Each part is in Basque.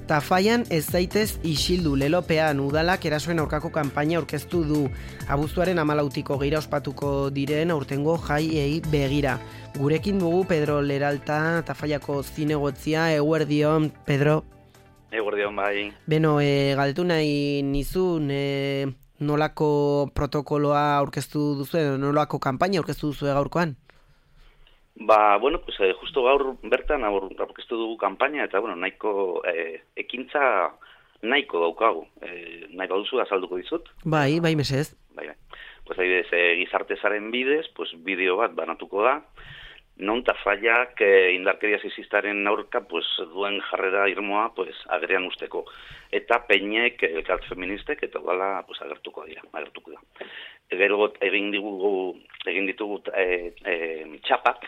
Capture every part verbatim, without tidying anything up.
Tafaian ez zaitez isildu lelopean udalak erasoen aurkako kanpaina aurkeztu du. Abuztuaren hamalautiko geira ospatuko diren aurtengo jaiei begira. Gurekin dugu Pedro Leralta, Tafaiako zinegotzia. Eguerdion, Pedro. Eguerdion, bai. Beno, e, galtu nahi nizun, e, nolako protokoloa aurkeztu duzu, nolako kanpaina aurkeztu duzu gaurkoan? Ba, bueno, pues, eh, justo gaur bertan aurkeztu dugu kanpaina, eta, bueno, nahiko eh, ekintza nahiko daukagu. Eh, nahi baduzu azalduko dizut? Bai, bai, mesez. Bai, bai. Pues, adibidez, eh, gizartezaren bidez, pues, bideo bat banatuko da, non Tafaiak eh, indarkeria sexistaren aurka pues, duen jarrera irmoa pues, agerian usteko. Eta peinek, elkart feministek, eta udala pues, agertuko dira, agertuko da. Gero egin ditugu, egin ditugu e, e, txapak,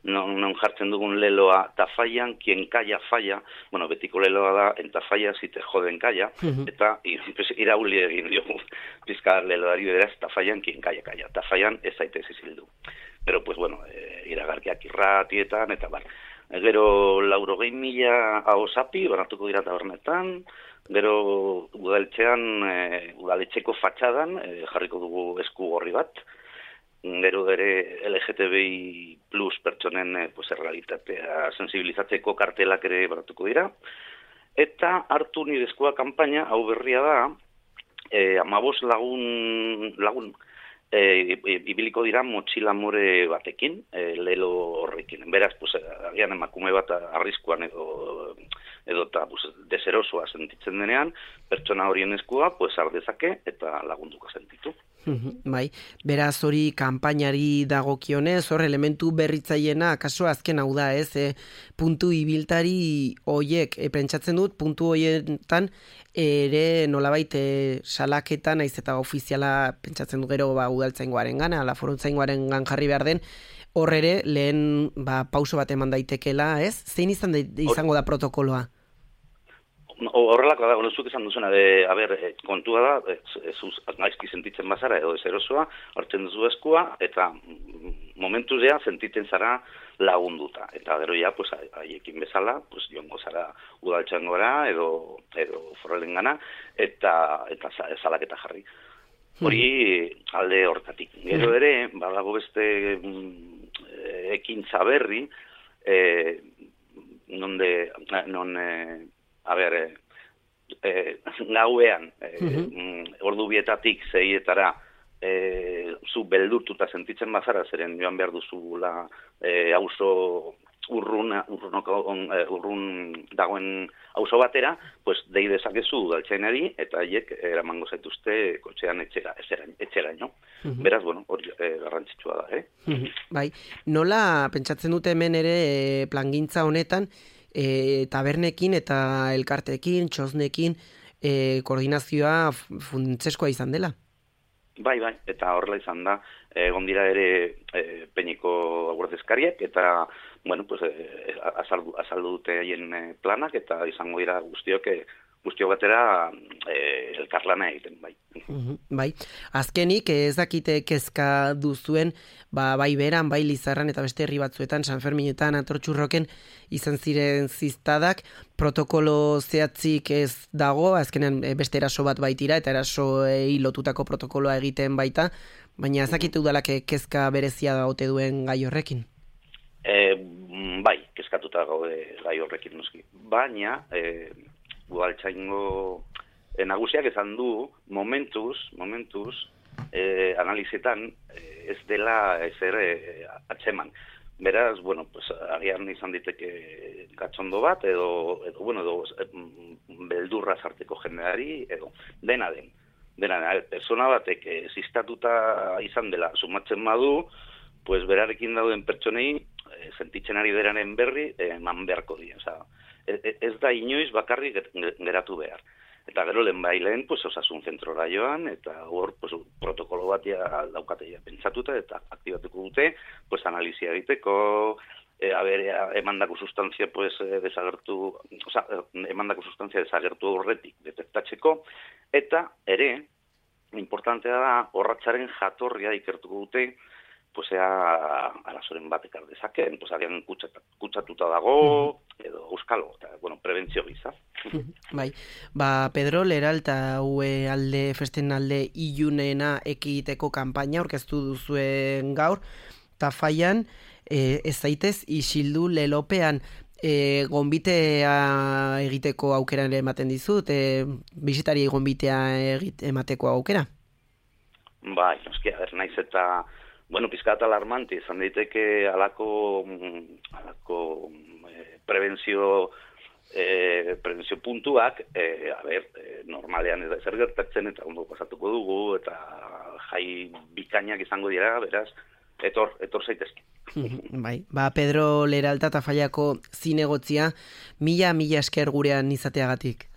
non, non jartzen dugun leloa Tafaian, quien calla falla, bueno, betiko leloa da, en Tafalla si te joden calla, uh-huh. Eta irauli egin diogu, pizka leloari beraz, Tafaian, quien calla calla, Tafaian ez zaitez izildu. Pero, pues, bueno, e, iragarkiak irratietan, eta bar. E, gero, laurogei mila ahosapi, banatuko dira tabernetan, gero, udaletxean, e, udaletxeko fatxadan, e, jarriko dugu esku gorri bat, gero ere L G T B I plus pertsonen e, pues, errealitatea sensibilizatzeko kartelak ere banatuko dira, eta hartu nire eskua kanpaina, hau berria da, e, amabos lagun, lagun, E, ibiliko dira motxila more batekin, e, lelo horrekin. Beraz, pues, agian emakume bat arriskuan edo edo eta pues, deserosoa sentitzen denean, pertsona horien eskua pues, ardezake eta lagunduko sentitu. Bai, beraz hori kanpainari dagokionez, hor elementu berritzaiena, kaso azken hau da, ez, e, puntu ibiltari hoiek, e, pentsatzen dut, puntu hoietan ere nolabait e, salaketan, naiz eta ofiziala pentsatzen du gero ba, udaltzaingoaren gana, ala foruntzaingoaren gan jarri behar den, hor ere lehen ba, pauso bat eman daitekela, ez? Zein izan da, izango da protokoloa? Horrelako da, onezuk esan duzuna, de, a ber, kontua da, ez gaizki sentitzen bazara edo ezerosoa, hartzen duzu eskua, eta momentuz ja sentitzen zara lagunduta. Eta gero ja, pues, haiekin bezala, pues, joango zara udaltxangora edo, edo forrelen gana, eta, eta salaketa jarri. Hori alde hortatik. Gero ere, badago beste mm, ekintza berri, eh, non de, non... Eh, A ber, eh, eh, gauean, eh, uh-huh. ordu bietatik zeietara, eh, zu beldurtuta sentitzen bazara, zeren joan behar duzula eh, auzo urrun, urrun, urrun dagoen auzo batera, pues dei dezakezu udaltzainari eta haiek eramango zaituzte kotxean etxera, etxera, no? Uh-huh. Beraz, bueno, hori eh, garrantzitsua da, eh? Uh-huh. Bai, nola pentsatzen dute hemen ere eh, plangintza honetan, E, tabernekin eta elkartekin, txosnekin, e, koordinazioa funtseskoa izan dela? Bai, bai, eta horrela izan da, egon dira ere e, Peñiko guardezkariak, eta, bueno, pues, e, azaldu, azaldu dute haien planak, eta izango dira guztiok, e, guztiok batera e, elkarlana egiten, bai. Uh-huh, bai, azkenik ez dakite kezka duzuen, ba, bai beran, bai Lizarran eta beste herri batzuetan, San Ferminetan, Atortxurroken izan ziren ziztadak, protokolo zehatzik ez dago, azkenean beste eraso bat baitira, eta erasoei lotutako protokoloa egiten baita, baina ez dakite udalak kezka berezia ote duen gai horrekin? E, bai, kezkatuta gaude gai horrekin noski, baina... E, udaltzaingo e, nagusiak esan du momentuz, momentuz e, analizetan e, ez dela ezer e, atzeman. Beraz, bueno, pues, agian izan diteke gatzondo bat, edo, edo bueno, edo e, beldurra sarteko jendeari, edo dena den. Dena den, persona batek e, zistatuta izan dela sumatzen badu, pues berarekin dauden pertsonei e, sentitzen ari deraren berri e, eman beharko dira, oza, ez da inoiz bakarrik geratu behar. Eta gero lehen bai lehen, pues, osasun zentrora joan, eta hor pues, protokolo bat daukatea pentsatuta, eta aktibatuko dute, pues, analizia egiteko, e, haber, emandako sustantzia pues, desagertu, oza, emandako sustantzia desagertu horretik detektatzeko, eta ere, importantea da, horratzaren jatorria ikertuko dute, pues ea arazoren bat ekar dezakeen, pues agian kutsatuta dago, edo euskalo, eta, bueno, prebentzio giza. Bai, ba, Pedro Leralta ue alde festen alde ilunena ekiteko kanpaina aurkeztu duzuen gaur, eta faian e, ez zaitez isildu lelopean e, gonbitea egiteko aukera ere ematen dizut, e, bisitari gonbitea egit, emateko aukera? Bai, noski, a ber, naiz eta, bueno, pizkat alarmante, izan daiteke alako, alako e, prebentzio E, prebentzio puntuak, e, a ber, e, normalean ez da ezer gertatzen eta ondo pasatuko dugu eta jai bikainak izango dira, beraz, etor, etor zaitezke. Bai, ba, Pedro Leralta eta Faiako zinegotzia, mila, mila esker gurean izateagatik.